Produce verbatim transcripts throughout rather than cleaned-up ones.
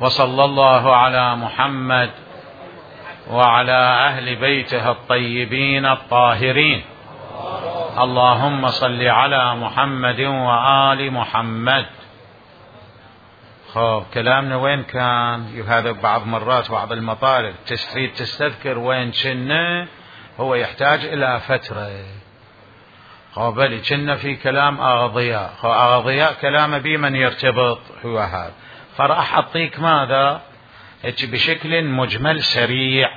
وصلى الله على محمد وعلى أهل بيته الطيبين الطاهرين. اللهم صل على محمد وآل محمد. خب كلامنا وين كان؟ هذا بعض مرات بعض المطالب تريد تستذكر وين كنا، هو يحتاج إلى فترة. خب بلي كنا في كلام أغضياء، خب أغضياء كلام بي من يرتبط هو هذا، فراح أعطيك ماذا بشكل مجمل سريع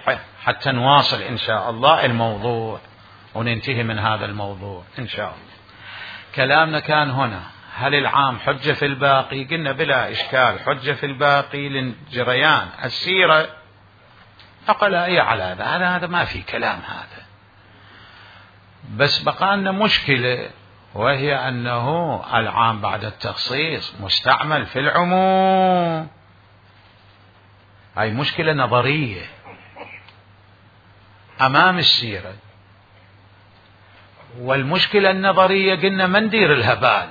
حتى نواصل إن شاء الله الموضوع وننتهي من هذا الموضوع إن شاء الله. كلامنا كان هنا: هل العام حجة في الباقي؟ قلنا بلا إشكال حجة في الباقي لجريان السيرة، أقل أي على هذا، هذا هذا ما في كلام هذا. بس بقى لنا مشكلة، وهي أنه العام بعد التخصيص مستعمل في العموم. هاي مشكلة نظرية أمام السيرة، والمشكلة النظرية قلنا ما ندير الهبال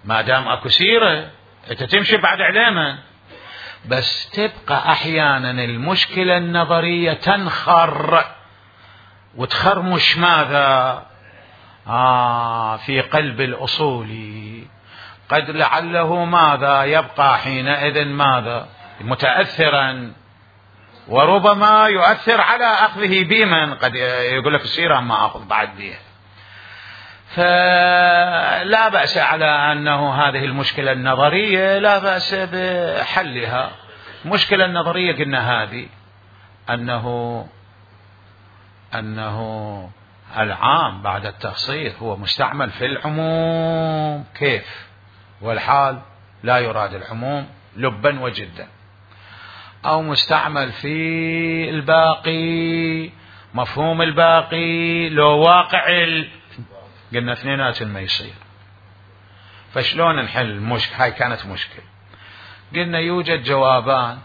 ما دام اكو سيرة انت تمشي بعد علامة، بس تبقى احيانا المشكلة النظرية تنخر وتخرمش ماذا آه في قلب الأصولي، قد لعله ماذا يبقى حينئذ ماذا متأثرا، وربما يؤثر على أخذه بمن قد يقول لك السيرة ما أخذ بعد بيه. فلا بأس على أنه هذه المشكلة النظرية لا بأس بحلها. المشكلة النظرية قلنا هذه أنه أنه العام بعد التخصيص هو مستعمل في العموم، كيف والحال لا يراد العموم لبا وجدا، أو مستعمل في الباقي مفهوم الباقي لو واقع ال... قلنا اثنينات ما يصير. فشلون نحل المشكلة؟ هاي كانت مشكلة. قلنا يوجد جوابان: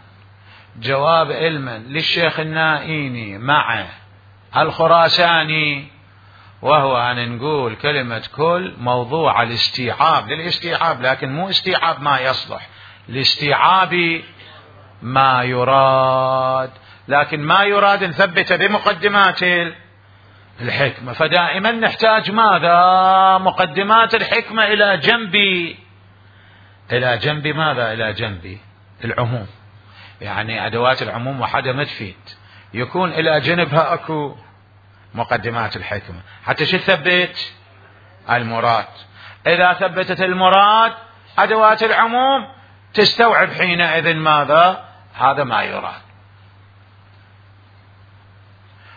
جواب علما للشيخ النائيني مع الخراساني، وهو أن نقول كلمة كل موضوع الاستيعاب للاستيعاب، لكن مو استيعاب ما يصلح، لاستيعاب ما يراد، لكن ما يراد نثبته بمقدمات الحكمة. فدائما نحتاج ماذا مقدمات الحكمة إلى جنب إلى جنب ماذا إلى جنب العموم، يعني أدوات العموم وحدة ما تفيد، يكون إلى جنبها أكو مقدمات الحكمة حتى شو تثبت المراد. إذا ثبتت المراد أدوات العموم تستوعب حينئذ ماذا هذا ما يراد.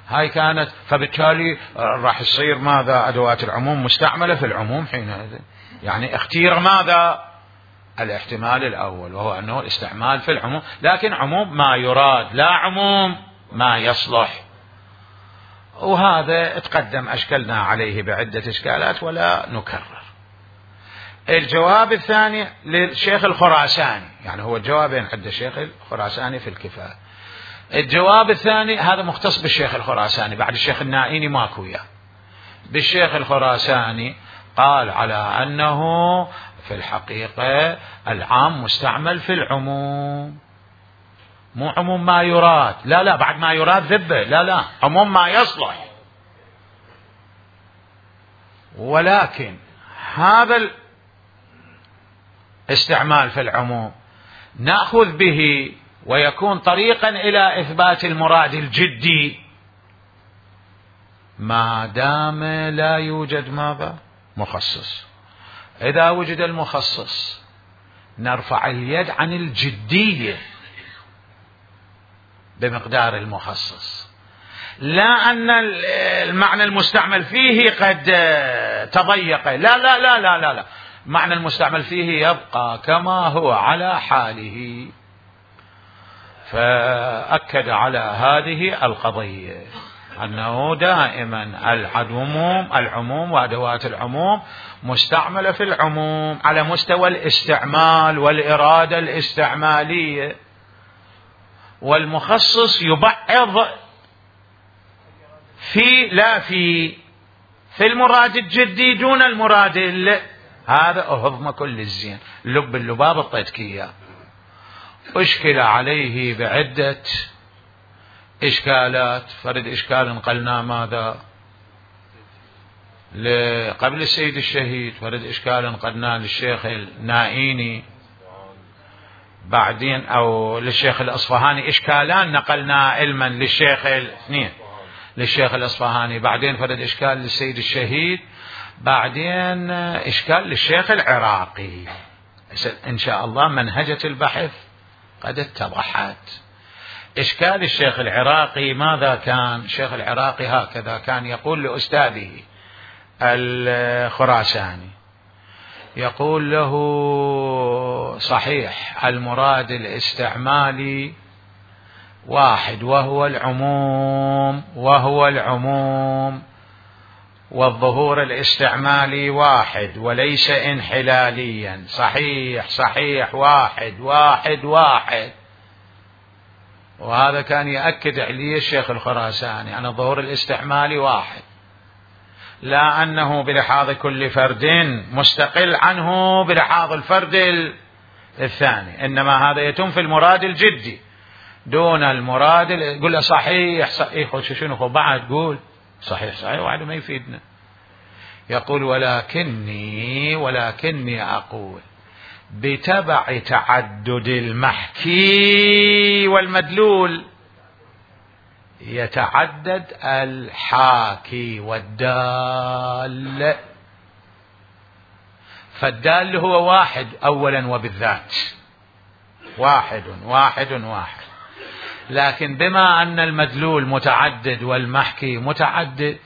هاي كانت، فبالتالي راح يصير ماذا أدوات العموم مستعملة في العموم حينئذ، يعني اختير ماذا الاحتمال الأول، وهو أنه الاستعمال في العموم، لكن عموم ما يراد لا عموم ما يصلح. وهذا تقدم أشكلنا عليه بعدة إشكالات ولا نكرر. الجواب الثاني للشيخ الخراساني، يعني هو جوابين عند الشيخ الخراساني في الكفاية. الجواب الثاني هذا مختص بالشيخ الخراساني، بعد الشيخ النائيني ماكو وياه. بالشيخ الخراساني قال على أنه في الحقيقة العام مستعمل في العموم، مو عموم ما يراد، لا لا بعد ما يراد ذبه، لا لا عموم ما يصلح. ولكن هذا الاستعمال في العموم نأخذ به ويكون طريقا إلى إثبات المراد الجدي ما دام لا يوجد ماذا مخصص. إذا وجد المخصص نرفع اليد عن الجدية بمقدار المخصص، لا أن المعنى المستعمل فيه قد تضيق، لا لا لا لا لا, لا. معنى المستعمل فيه يبقى كما هو على حاله. فأكد على هذه القضية أنه دائما العموم العموم وأدوات العموم مستعملة في العموم على مستوى الاستعمال والإرادة الاستعمالية، والمخصص يبعض في لا في في المراد الجدي دون المراد. هذا أهضم كل الزين، لب اللباب الطيتكية. أشكل عليه بعدة إشكالات. فرد إشكال انقلنا ماذا قبل السيد الشهيد، فرد إشكال انقلنا للشيخ النائيني، بعدين أو للشيخ الأصفهاني، إشكالان نقلنا علما للشيخ الاثنين للشيخ الأصفهاني، بعدين فرد إشكال للسيد الشهيد، بعدين إشكال للشيخ العراقي. إن شاء الله منهجة البحث قد اتضحت. إشكال الشيخ العراقي ماذا كان؟ الشيخ العراقي هكذا كان يقول لأستاذه الخراساني، يقول له: صحيح المراد الاستعمالي واحد وهو العموم وهو العموم والظهور الاستعمالي واحد وليس انحلاليا. صحيح صحيح واحد واحد واحد. وهذا كان يأكد عليه الشيخ الخراساني أن الظهور الاستعمالي واحد، لا أنه بلحاظ كل فرد مستقل عنه بلحاظ الفرد الثاني، إنما هذا يتم في المراد الجدي دون المراد. يقول له صحيح صحيح شنو بعد قول صحيح صحيح وعد ما يفيدنا. يقول: ولكني ولكني أقول بتبع تعدد المحكي والمدلول يتعدد الحاكي والدال. فالدال هو واحد أولا وبالذات، واحد واحد واحد، لكن بما أن المدلول متعدد والمحكي متعدد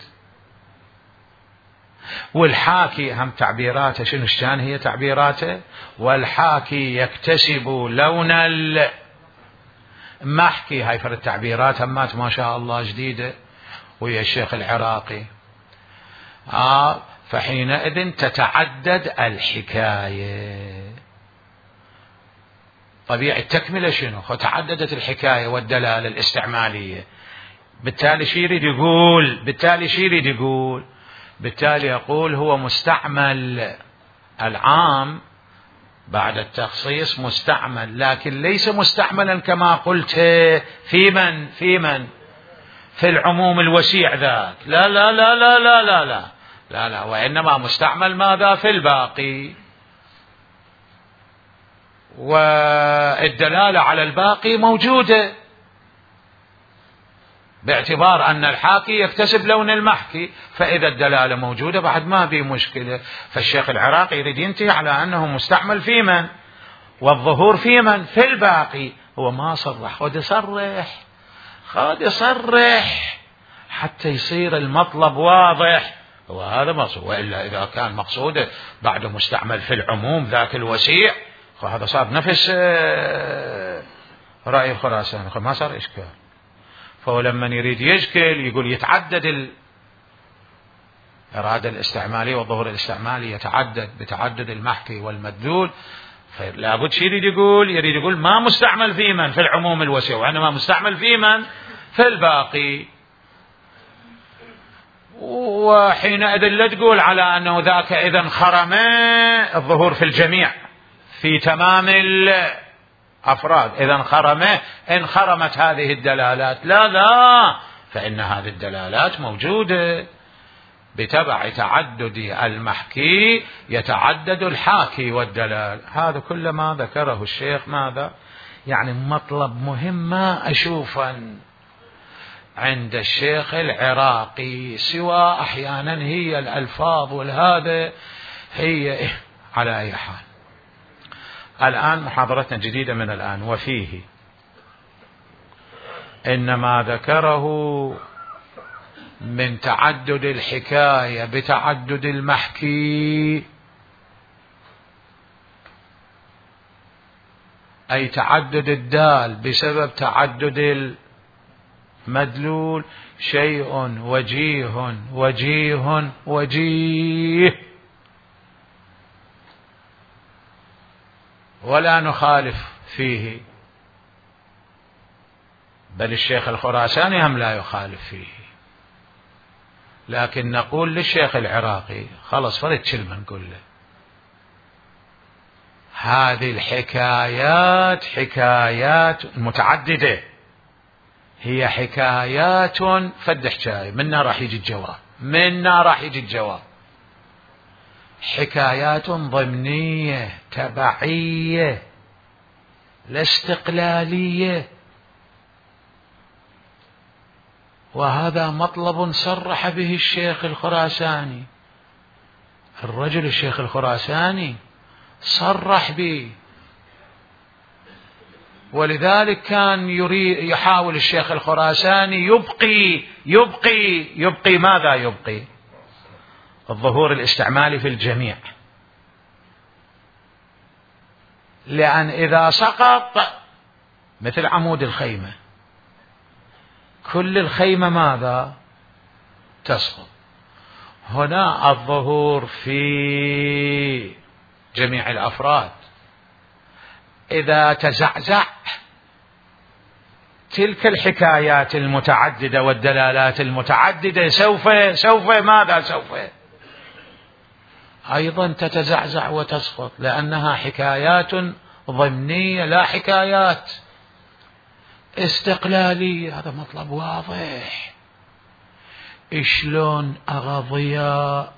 والحاكي هم تعبيراته شنو شان هي تعبيراته، والحاكي يكتسب لون المحكي. هاي فرد التعبيرات همات ما شاء الله جديدة ويا الشيخ العراقي. آه فحينئذ تتعدد الحكاية. طبيعي التكملة شنو؟ فتعددت الحكاية والدلالة الاستعمالية. بالتالي شي يريد يقول بالتالي شي يريد يقول بالتالي يقول هو مستعمل العام بعد التخصيص مستعمل، لكن ليس مستعملا كما قلت في من في من في العموم الوسيع ذاك، لا لا لا لا لا لا لا لا, لا. وإنما مستعمل ماذا في الباقي، والدلالة على الباقي موجودة باعتبار أن الحاكي يكتسب لون المحكي، فإذا الدلالة موجودة بعد ما في مشكلة. فالشيخ العراقي يريد ينتهي على أنه مستعمل في من والظهور في من في الباقي. هو ما صرح، خذ يصرح خذ يصرح حتى يصير المطلب واضح. وهذا مقصود، وإلا إذا كان مقصوده بعد مستعمل في العموم ذاك الوسيع فهذا صار نفس رأي الخراساني، ما صار إشكال. فهو لما يريد يشكل يقول يتعدد الإرادة الاستعمالية والظهور الاستعمالي يتعدد بتعدد المحكي والمدلول. فلا بد شيء يريد يقول يريد يقول ما مستعمل في من في العموم الوسيع، وإنما مستعمل في من في الباقي. وحينئذ لا تقول على أنه ذاك إذا انخرم الظهور في الجميع في تمام الأفراد، إذا انخرم انخرمت هذه الدلالات، لا لا، فإن هذه الدلالات موجودة بتبع تعدد المحكي يتعدد الحاكي والدلال. هذا كل ما ذكره الشيخ ماذا يعني مطلب مهم ما أشوفا عند الشيخ العراقي، سوى أحيانا هي الألفاظ والهذا هي على أي حال. الآن محاضرتنا جديدة من الآن. وفيه إنما ذكره من تعدد الحكاية بتعدد المحكي، أي تعدد الدال بسبب تعدد المدلول، شيء وجيه وجيه وجيه، ولا نخالف فيه، بل الشيخ الخراساني هم لا يخالف فيه. لكن نقول للشيخ العراقي خلص فرد كلمة نقول له هذه الحكايات حكايات متعددة، هي حكايات فد حكاية منا راح يجي الجواب، منا راح يجي الجواب. حكايات ضمنية تبعية لا استقلالية، وهذا مطلب صرح به الشيخ الخراساني. الرجل الشيخ الخراساني صرح به، ولذلك كان يريد يحاول الشيخ الخراساني يبقي يبقي يبقي ماذا يبقي؟ الظهور الاستعمالي في الجميع، لأن إذا سقط مثل عمود الخيمة، كل الخيمة ماذا تسقط. هنا الظهور في جميع الأفراد، إذا تزعزع تلك الحكايات المتعددة والدلالات المتعددة سوف سوف ماذا سوف أيضا تتزعزع وتسقط، لأنها حكايات ضمنية لا حكايات استقلالية. هذا مطلب واضح. شلون أغضياء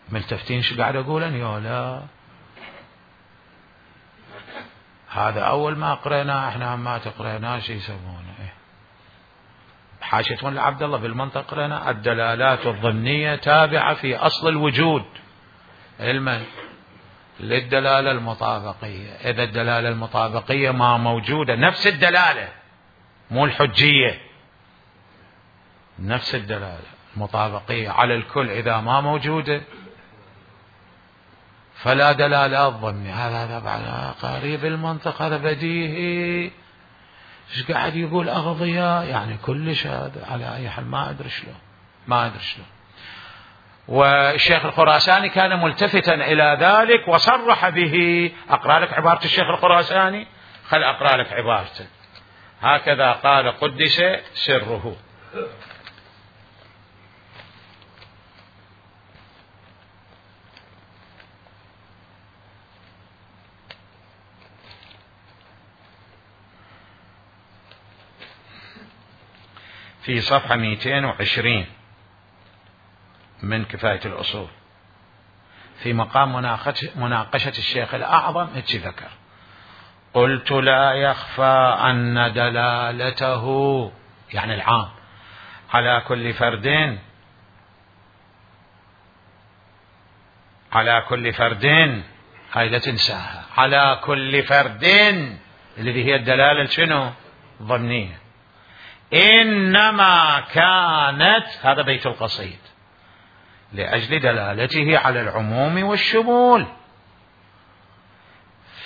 ملتفتين شو قاعد أقول أنا يا لا؟ هذا أول ما قرينا احنا ما تقرينا شو يسمونه إيه؟ حاشية مولى عبد الله بالمنطق قرينا الدلالات الضمنية تابعة في أصل الوجود علما للدلالة المطابقية. إذا الدلالة المطابقية ما موجودة، نفس الدلالة مو الحجية، نفس الدلالة المطابقية على الكل إذا ما موجودة فلا دلالة ضمنية. هذا هذا بعد قريب المنطق، هذا بديهي. ايش قاعد يقول أغضياء يعني كلش هذا على أي حال ما أدري شلون ما أدري شلون. والشيخ الخراساني كان ملتفتا إلى ذلك وصرح به. أقرأ لك عبارة الشيخ الخراساني، خل أقرأ لك عبارته. هكذا قال قدس سره: في صفحة مئتين وعشرين من كفاية الأصول، في مقام مناقشة الشيخ الأعظم اتش ذكر: قلت لا يخفى أن دلالته يعني العام على كل فرد على كل فرد هاي لا تنساها، على كل فرد اللي هي الدلالة شنو؟ ضمنية. إنما كانت، هذا بيت القصيد، لأجل دلالته على العموم والشمول.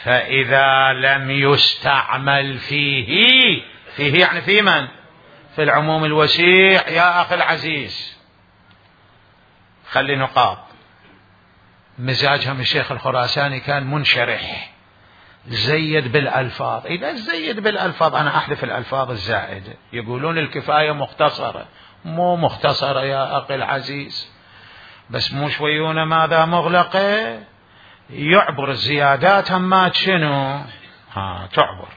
فإذا لم يستعمل فيه، فيه يعني في من؟ في العموم الوسيع يا أخي العزيز. خلي نقاط. مزاجهم الشيخ الخراساني كان منشرح، زيد بالألفاظ. إذا زيد بالألفاظ أنا أحذف الألفاظ الزائدة. يقولون الكفاية مختصرة، مو مختصرة يا أخي العزيز، بس مو شويون ماذا مغلقة، يعبر الزيادات همات شنو ها تعبر.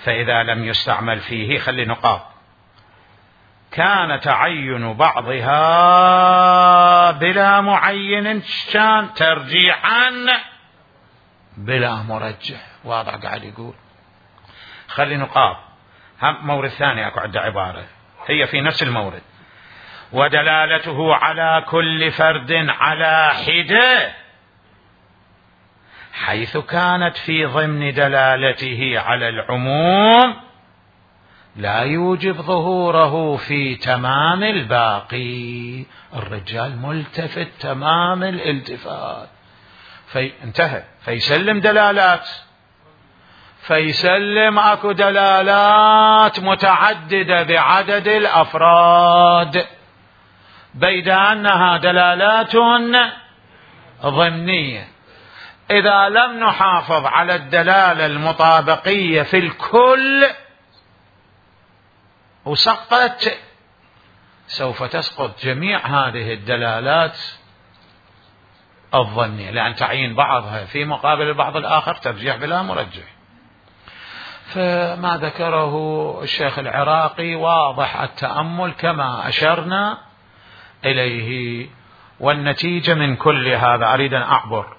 فإذا لم يستعمل فيه، خلي نقاط، كان تعين بعضها بلا معين كان ترجيحا بلا مرجح. واضح قاعد يقول. خلي نقاط. هم مورد ثاني اكو عده عبارة هي في نفس المورد: ودلالته على كل فرد على حدة، حيث كانت في ضمن دلالته على العموم لا يوجب ظهوره في تمام الباقي. الرجال ملتفت تمام الالتفات. في انتهى فيسلم دلالات، فيسلم اكو دلالات متعددة بعدد الافراد، بيد انها دلالات ضمنية. اذا لم نحافظ على الدلالة المطابقية في الكل وسقطت، سوف تسقط جميع هذه الدلالات الظنية، لأن تعيين بعضها في مقابل البعض الآخر ترجيح بلا مرجح. فما ذكره الشيخ العراقي واضح التأمل كما أشرنا إليه. والنتيجة من كل هذا، أريد أن أعبر،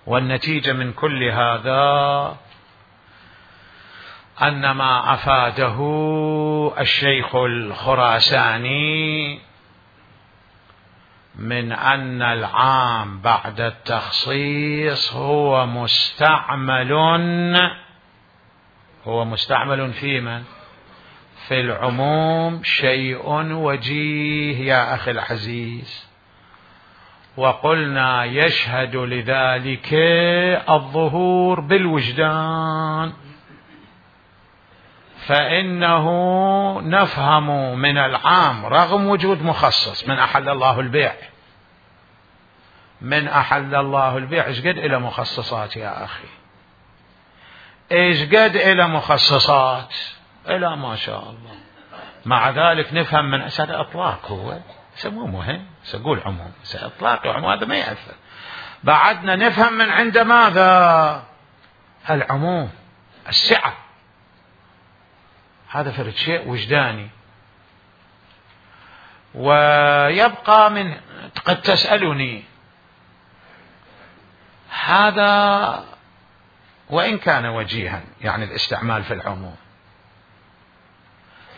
والنتيجة من كل هذا أن ما أفاده الشيخ الخراساني من أن العام بعد التخصيص هو مستعمل هو مستعمل في من؟ في العموم شيء وجيه يا أخي العزيز. وقلنا يشهد لذلك الظهور بالوجدان، فإنه نفهم من العام رغم وجود مخصص من أحل الله البيع، من أحل الله البيع إيش قد إلى مخصصات يا أخي، إيش قد إلى مخصصات إلى ما شاء الله. مع ذلك نفهم من أسد إطلاق، هو سموه مهم سأقول عموم، سإطلاق وعموم هذا ما يأثر. بعدنا نفهم من عند ماذا؟ العموم، السعة. هذا فرد شيء وجداني. ويبقى من قد تسألني هذا وإن كان وجيها يعني الاستعمال في العموم،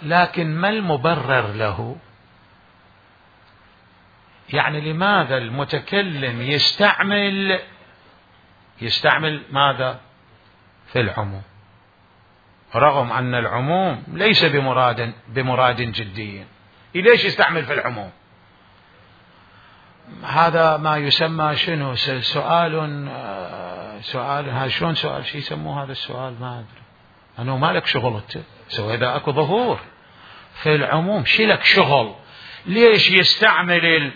لكن ما المبرر له؟ يعني لماذا المتكلم يستعمل يستعمل ماذا في العموم رغم أن العموم ليس بمراد بمراد جدي؟ ليش يستعمل في العموم؟ هذا ما يسمى شنو؟ سؤال سؤال ها شلون سؤال شو يسموه هذا السؤال؟ ما أدري أنه ما لك شغل أنت، سوى إذا أكو ظهور في العموم شي لك شغل؟ ليش يستعمل ال...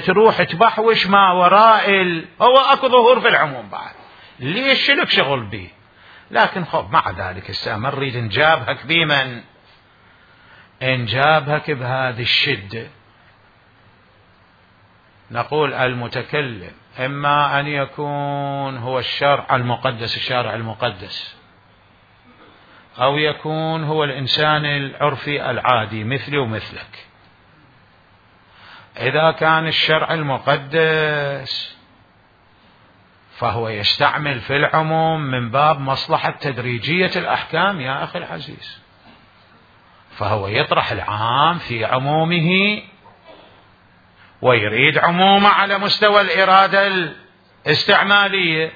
تروح تبحوش ما وراء ال... هو أكو ظهور في العموم بعد، ليش لك شغل به؟ لكن خب مع ذلك الساعة ما نريد نجابهك بمن نجابهك بهذه الشدة. نقول المتكلم إما أن يكون هو الشرع المقدس، الشارع المقدس، أو يكون هو الإنسان العرفي العادي مثلي ومثلك. إذا كان الشرع المقدس فهو يستعمل في العموم من باب مصلحة تدريجية الأحكام يا أخي العزيز، فهو يطرح العام في عمومه ويريد عمومه على مستوى الإرادة الاستعمالية،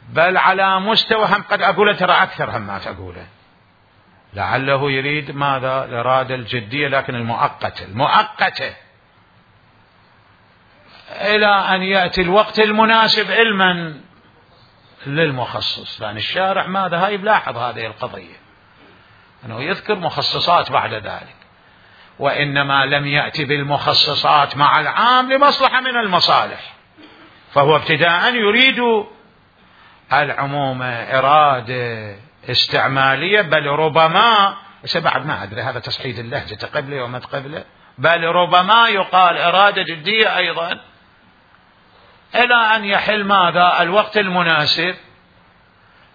بل على مستوى هم قد أقول ترى أكثر هم ما تقوله، لعله يريد ماذا؟ الإرادة الجدية لكن المؤقتة المؤقتة إلى أن يأتي الوقت المناسب علما للمخصص. لأن الشارع ماذا؟ هاي بلاحظ هذه القضية أنه يذكر مخصصات بعد ذلك، وإنما لم يأتي بالمخصصات مع العام لمصلحة من المصالح، فهو ابتداء يريد العموم إرادة استعمالية، بل ربما بعد ما أدري هذا تصحيح اللهجة قبله وما قبله، بل ربما يقال إرادة جدية أيضا إلى أن يحل ماذا؟ الوقت المناسب،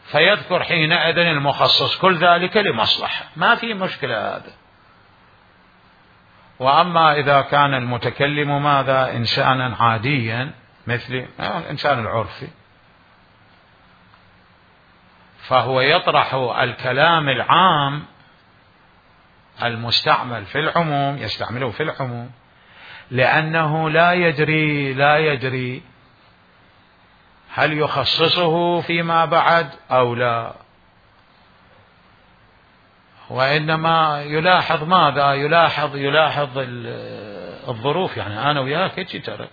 فيذكر حينئذ المخصص، كل ذلك لمصلحة، ما في مشكلة هذا. وأما إذا كان المتكلم ماذا؟ إنسانا عاديا مثل الإنسان العرفي، فهو يطرح الكلام العام المستعمل في العموم، يستعمله في العموم لأنه لا يدري لا يدري هل يخصصه فيما بعد أو لا، وإنما يلاحظ ماذا؟ يلاحظ يلاحظ الظروف. يعني أنا وياك هيك ترى،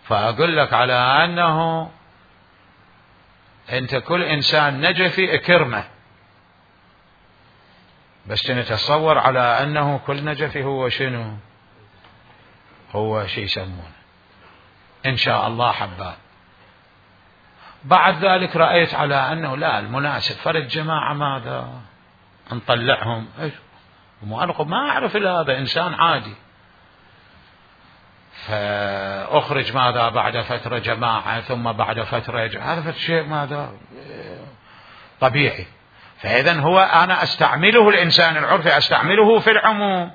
فأقول لك على أنه أنت كل إنسان نجفي اكرمه، بس نتصور على أنه كل نجفي هو شنو؟ هو شيء يسمونه إن شاء الله حبات. بعد ذلك رأيت على أنه لا، المناسب فرد جماعة ماذا؟ نطلعهم إيش؟ ما أعرف إلا هذا إنسان عادي، فأخرج ماذا بعد فترة جماعة، ثم بعد فترة جماعة. هذا شيء ماذا طبيعي. فإذا هو أنا أستعمله الإنسان العرفي أستعمله في العموم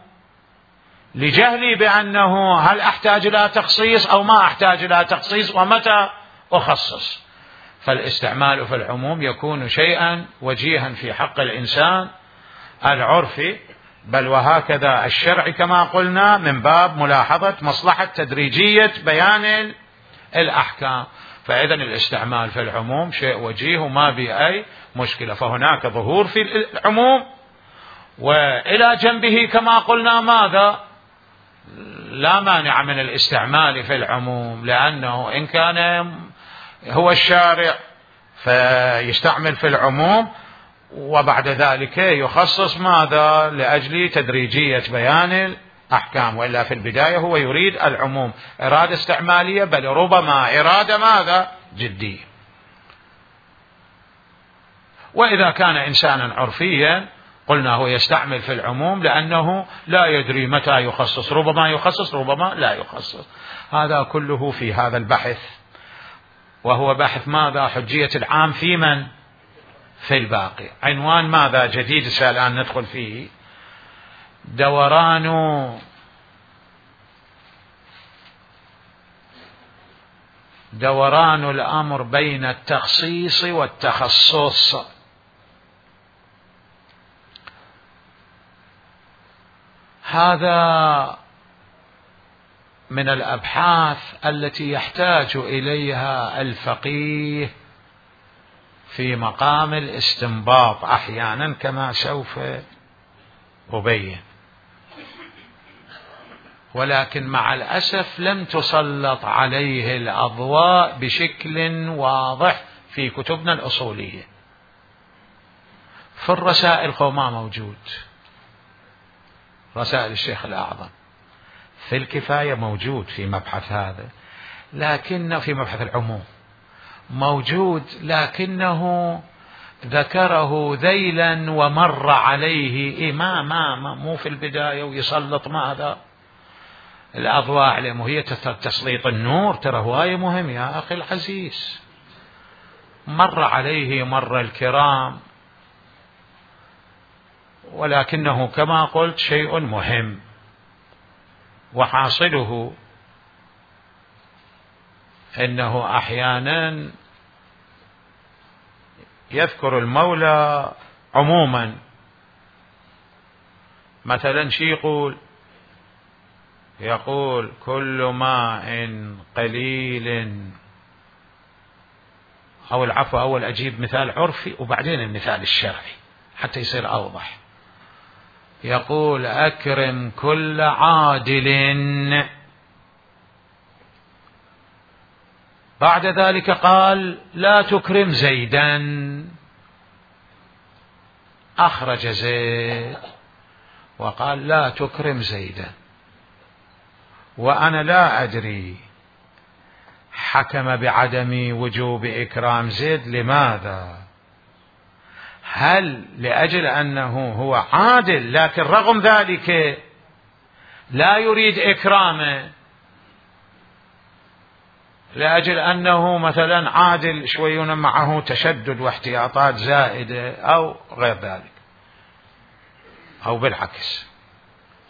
لجهلي بأنه هل أحتاج إلى تخصيص أو ما أحتاج إلى تخصيص ومتى أخصص. فالاستعمال في العموم يكون شيئا وجيها في حق الإنسان العرفي، بل وهكذا الشرع كما قلنا من باب ملاحظة مصلحة تدريجية بيان الأحكام. فإذا الاستعمال في العموم شيء وجيه وما به أي مشكلة. فهناك ظهور في العموم، وإلى جنبه كما قلنا ماذا لا مانع من الاستعمال في العموم، لأنه إن كان هو الشارع فيستعمل في العموم وبعد ذلك يخصص ماذا لأجل تدريجية بيان الأحكام، وإلا في البداية هو يريد العموم إرادة استعمالية، بل ربما إرادة ماذا جدية. وإذا كان إنسانا عرفيا قلنا هو يستعمل في العموم لأنه لا يدري متى يخصص، ربما يخصص ربما لا يخصص. هذا كله في هذا البحث، وهو بحث ماذا حجية العام في من؟ في الباقي. عنوان ماذا جديد الآن ندخل فيه؟ دوران دوران الأمر بين التخصيص والتخصص. هذا من الأبحاث التي يحتاج إليها الفقيه في مقام الاستنباط أحيانا كما سوف أبين، ولكن مع الأسف لم تسلط عليه الأضواء بشكل واضح في كتبنا الأصولية. في الرسائل هو ما موجود، رسائل الشيخ الأعظم. في الكفاية موجود في مبحث هذا، لكن في مبحث العموم موجود، لكنه ذكره ذيلا ومر عليه إيه ما ما ما مو في البداية ويسلط ماذا الأضواء عليه. وهي تسليط النور ترى هواية مهم يا أخي العزيز. مر عليه مر الكرام، ولكنه كما قلت شيء مهم. وحاصله إنه أحيانا يذكر المولى عموما، مثلا شي يقول يقول كل ماء قليل، أو العفو أول أجيب مثال عرفي وبعدين المثال الشرعي حتى يصير أوضح. يقول أكرم كل عادل، بعد ذلك قال لا تكرم زيدا، أخرج زيد وقال لا تكرم زيدا، وأنا لا أدري حكم بعدم وجوب إكرام زيد لماذا؟ هل لأجل أنه هو عادل لكن رغم ذلك لا يريد إكرامه لأجل أنه مثلا عادل شويون معه تشدد واحتياطات زائدة أو غير ذلك، أو بالعكس؟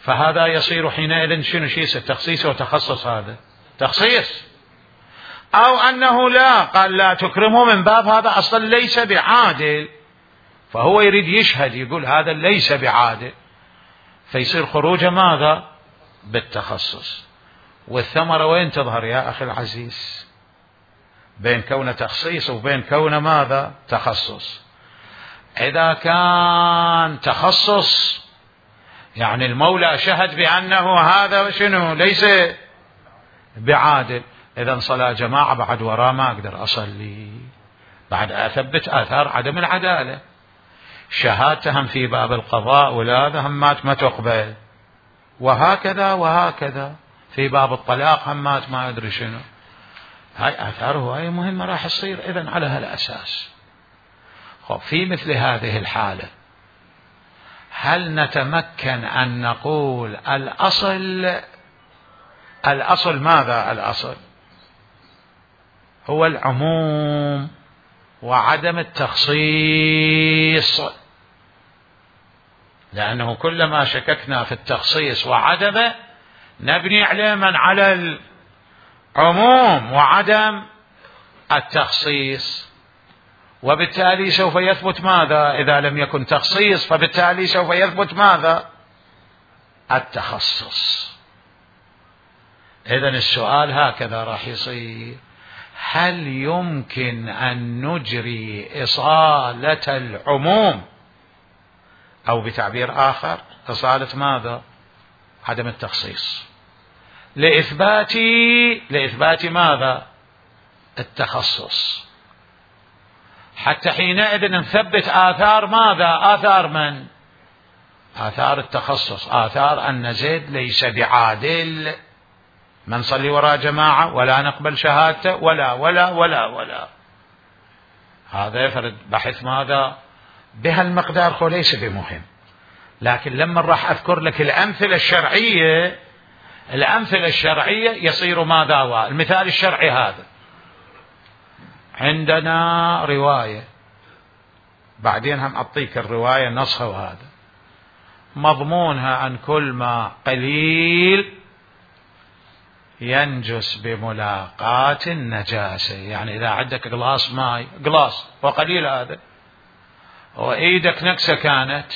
فهذا يصير حينئذ شنو شيء التخصيص وتخصص، هذا تخصيص. أو أنه لا قال لا تكرمه من باب هذا أصلا ليس بعادل، فهو يريد يشهد يقول هذا ليس بعادل، فيصير خروجه ماذا بالتخصص. والثمرة وين تظهر يا أخي العزيز بين كون تخصيص وبين كون ماذا تخصص؟ إذا كان تخصص يعني المولى شهد بأنه هذا شنو ليس بعادل، إذا صلاة جماعة بعد وراء ما أقدر أصلي، بعد أثبت آثار عدم العدالة. شهادتهم في باب القضاء ولا همات ما تقبل، وهكذا وهكذا في باب الطلاق همات ما أدري شنو. هاي آثاره هاي مهمة راح تصير إذن على هالأساس. خب في مثل هذه الحالة هل نتمكن أن نقول الأصل الأصل ماذا؟ الأصل هو العموم وعدم التخصيص، لأنه كلما شككنا في التخصيص وعدمه نبني عليه من على العموم وعدم التخصيص، وبالتالي سوف يثبت ماذا؟ إذا لم يكن تخصيص فبالتالي سوف يثبت ماذا؟ التخصص. إذن السؤال هكذا راح يصير: هل يمكن أن نجري إصالة العموم، أو بتعبير آخر إصالة ماذا؟ عدم التخصيص، لإثبات لإثبات ماذا؟ التخصص، حتى حينئذ نثبت آثار ماذا؟ آثار من؟ آثار التخصص، آثار أن زيد ليس بعادل، ما نصلي وراء جماعة ولا نقبل شهادته ولا ولا ولا ولا. هذا يفرض بحث ماذا؟ بهالمقدار، هو ليس بمهم، لكن لما راح أذكر لك الأمثلة الشرعية، الأمثلة الشرعية يصير ماذا؟ والمثال الشرعي هذا: عندنا رواية، بعدين هم أعطيك الرواية نصها، وهذا مضمونها عن كل ما قليل ينجس بملاقاة النجاسة. يعني إذا عندك قلاص ماء، قلاص وقليل هذا، وإيدك نكسة كانت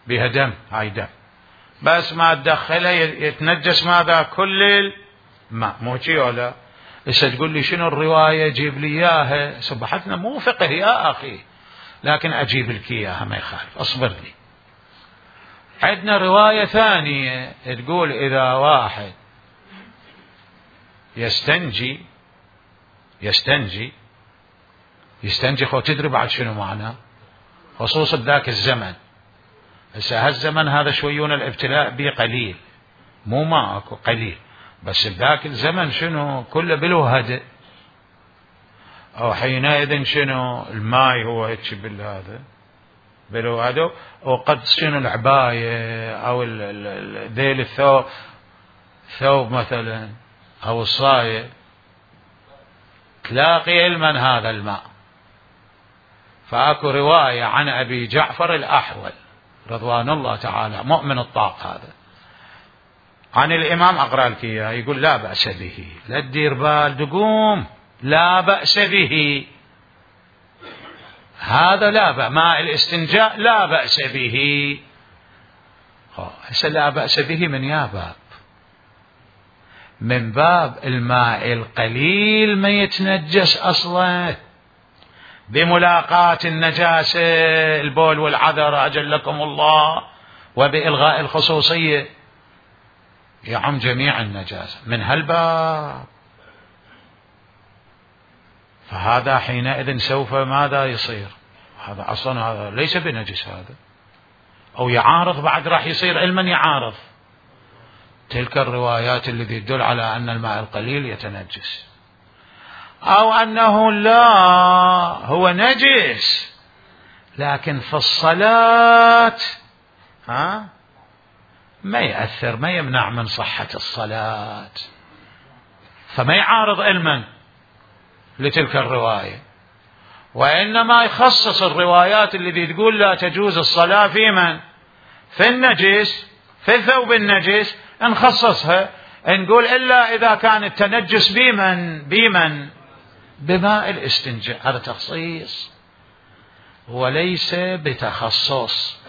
بها دم، هاي دم، بس ما تدخلها يتنجس ماذا؟ كل الماء، مو شي ولا؟ إيش تقول لي شنو الرواية؟ جيب لي إياها. سبحتنا مو فقه يا أخي، لكن أجيب لك إياها ما يخالف، أصبر لي. عندنا رواية ثانية تقول إذا واحد يستنجي يستنجي يستنجي خو تدري بعد شنو معناه؟ خصوصا ذاك الزمن. هسه هالزمن هذا شويون الابتلاء به قليل، مو ما اكو قليل، بس ذاك الزمن شنو؟ كله بلو هدئ، او حينئذ شنو؟ الماي هو هيك بالهذا بلو هدئ، وقد شنو العباية او ذيل الثوب، ثوب مثلا او الصاية، تلاقي علما هذا الماء. فاكو رواية عن ابي جعفر الاحول رضوان الله تعالى، مؤمن الطاق هذا، عن الامام، اقرا لك اياه، يقول لا بأس به، لا تدير بال تقوم، لا بأس به، هذا لا بأس، ماء الاستنجاء لا بأس به. هسه لا بأس به من يا باب، من باب الماء القليل ما يتنجس أصلا بملاقاة النجاسة، البول والعذر أجلكم الله، وبإلغاء الخصوصية، يعم جميع النجاسة من هالباب. فهذا حينئذ سوف ماذا يصير؟ هذا أصلا هذا ليس بنجس، هذا أو يعارض، بعد راح يصير علما يعارض تلك الروايات التي تدل على أن الماء القليل يتنجس، أو أنه لا هو نجس لكن في الصلاة ها ما يأثر، ما يمنع من صحة الصلاة، فما يعارض علما لتلك الرواية، وإنما يخصص الروايات التي تقول لا تجوز الصلاة في من؟ في النجس، في الثوب النجس، نخصصها نقول إلا إذا كان التنجس بمن؟ بمن؟ بماء الاستنجاء. هذا تخصيص وليس بتخصص.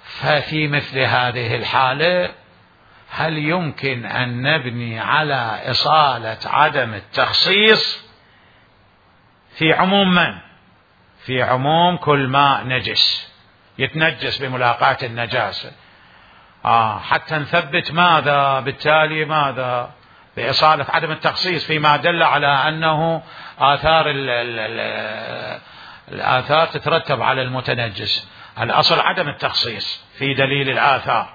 ففي مثل هذه الحالة هل يمكن أن نبني على إصالة عدم التخصيص في عموم من؟ في عموم كل ماء نجس يتنجس بملاقاة النجاسة، آه حتى نثبت ماذا؟ بالتالي ماذا؟ بإصالة عدم التخصيص فيما دل على أنه آثار ال ال ال الآثار تترتب على المتنجس. الأصل عدم التخصيص في دليل الآثار،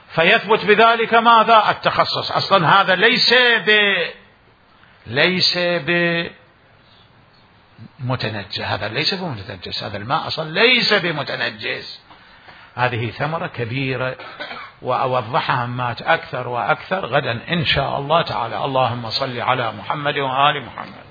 فيثبت بذلك ماذا؟ التخصص. أصلا هذا ليس ب ليس بمتنجس، هذا ليس بمتنجس، هذا الماء أصلا ليس بمتنجس، هذه ثمرة كبيرة، وأوضحها مات أكثر وأكثر غدا إن شاء الله تعالى. اللهم صل على محمد وآل محمد.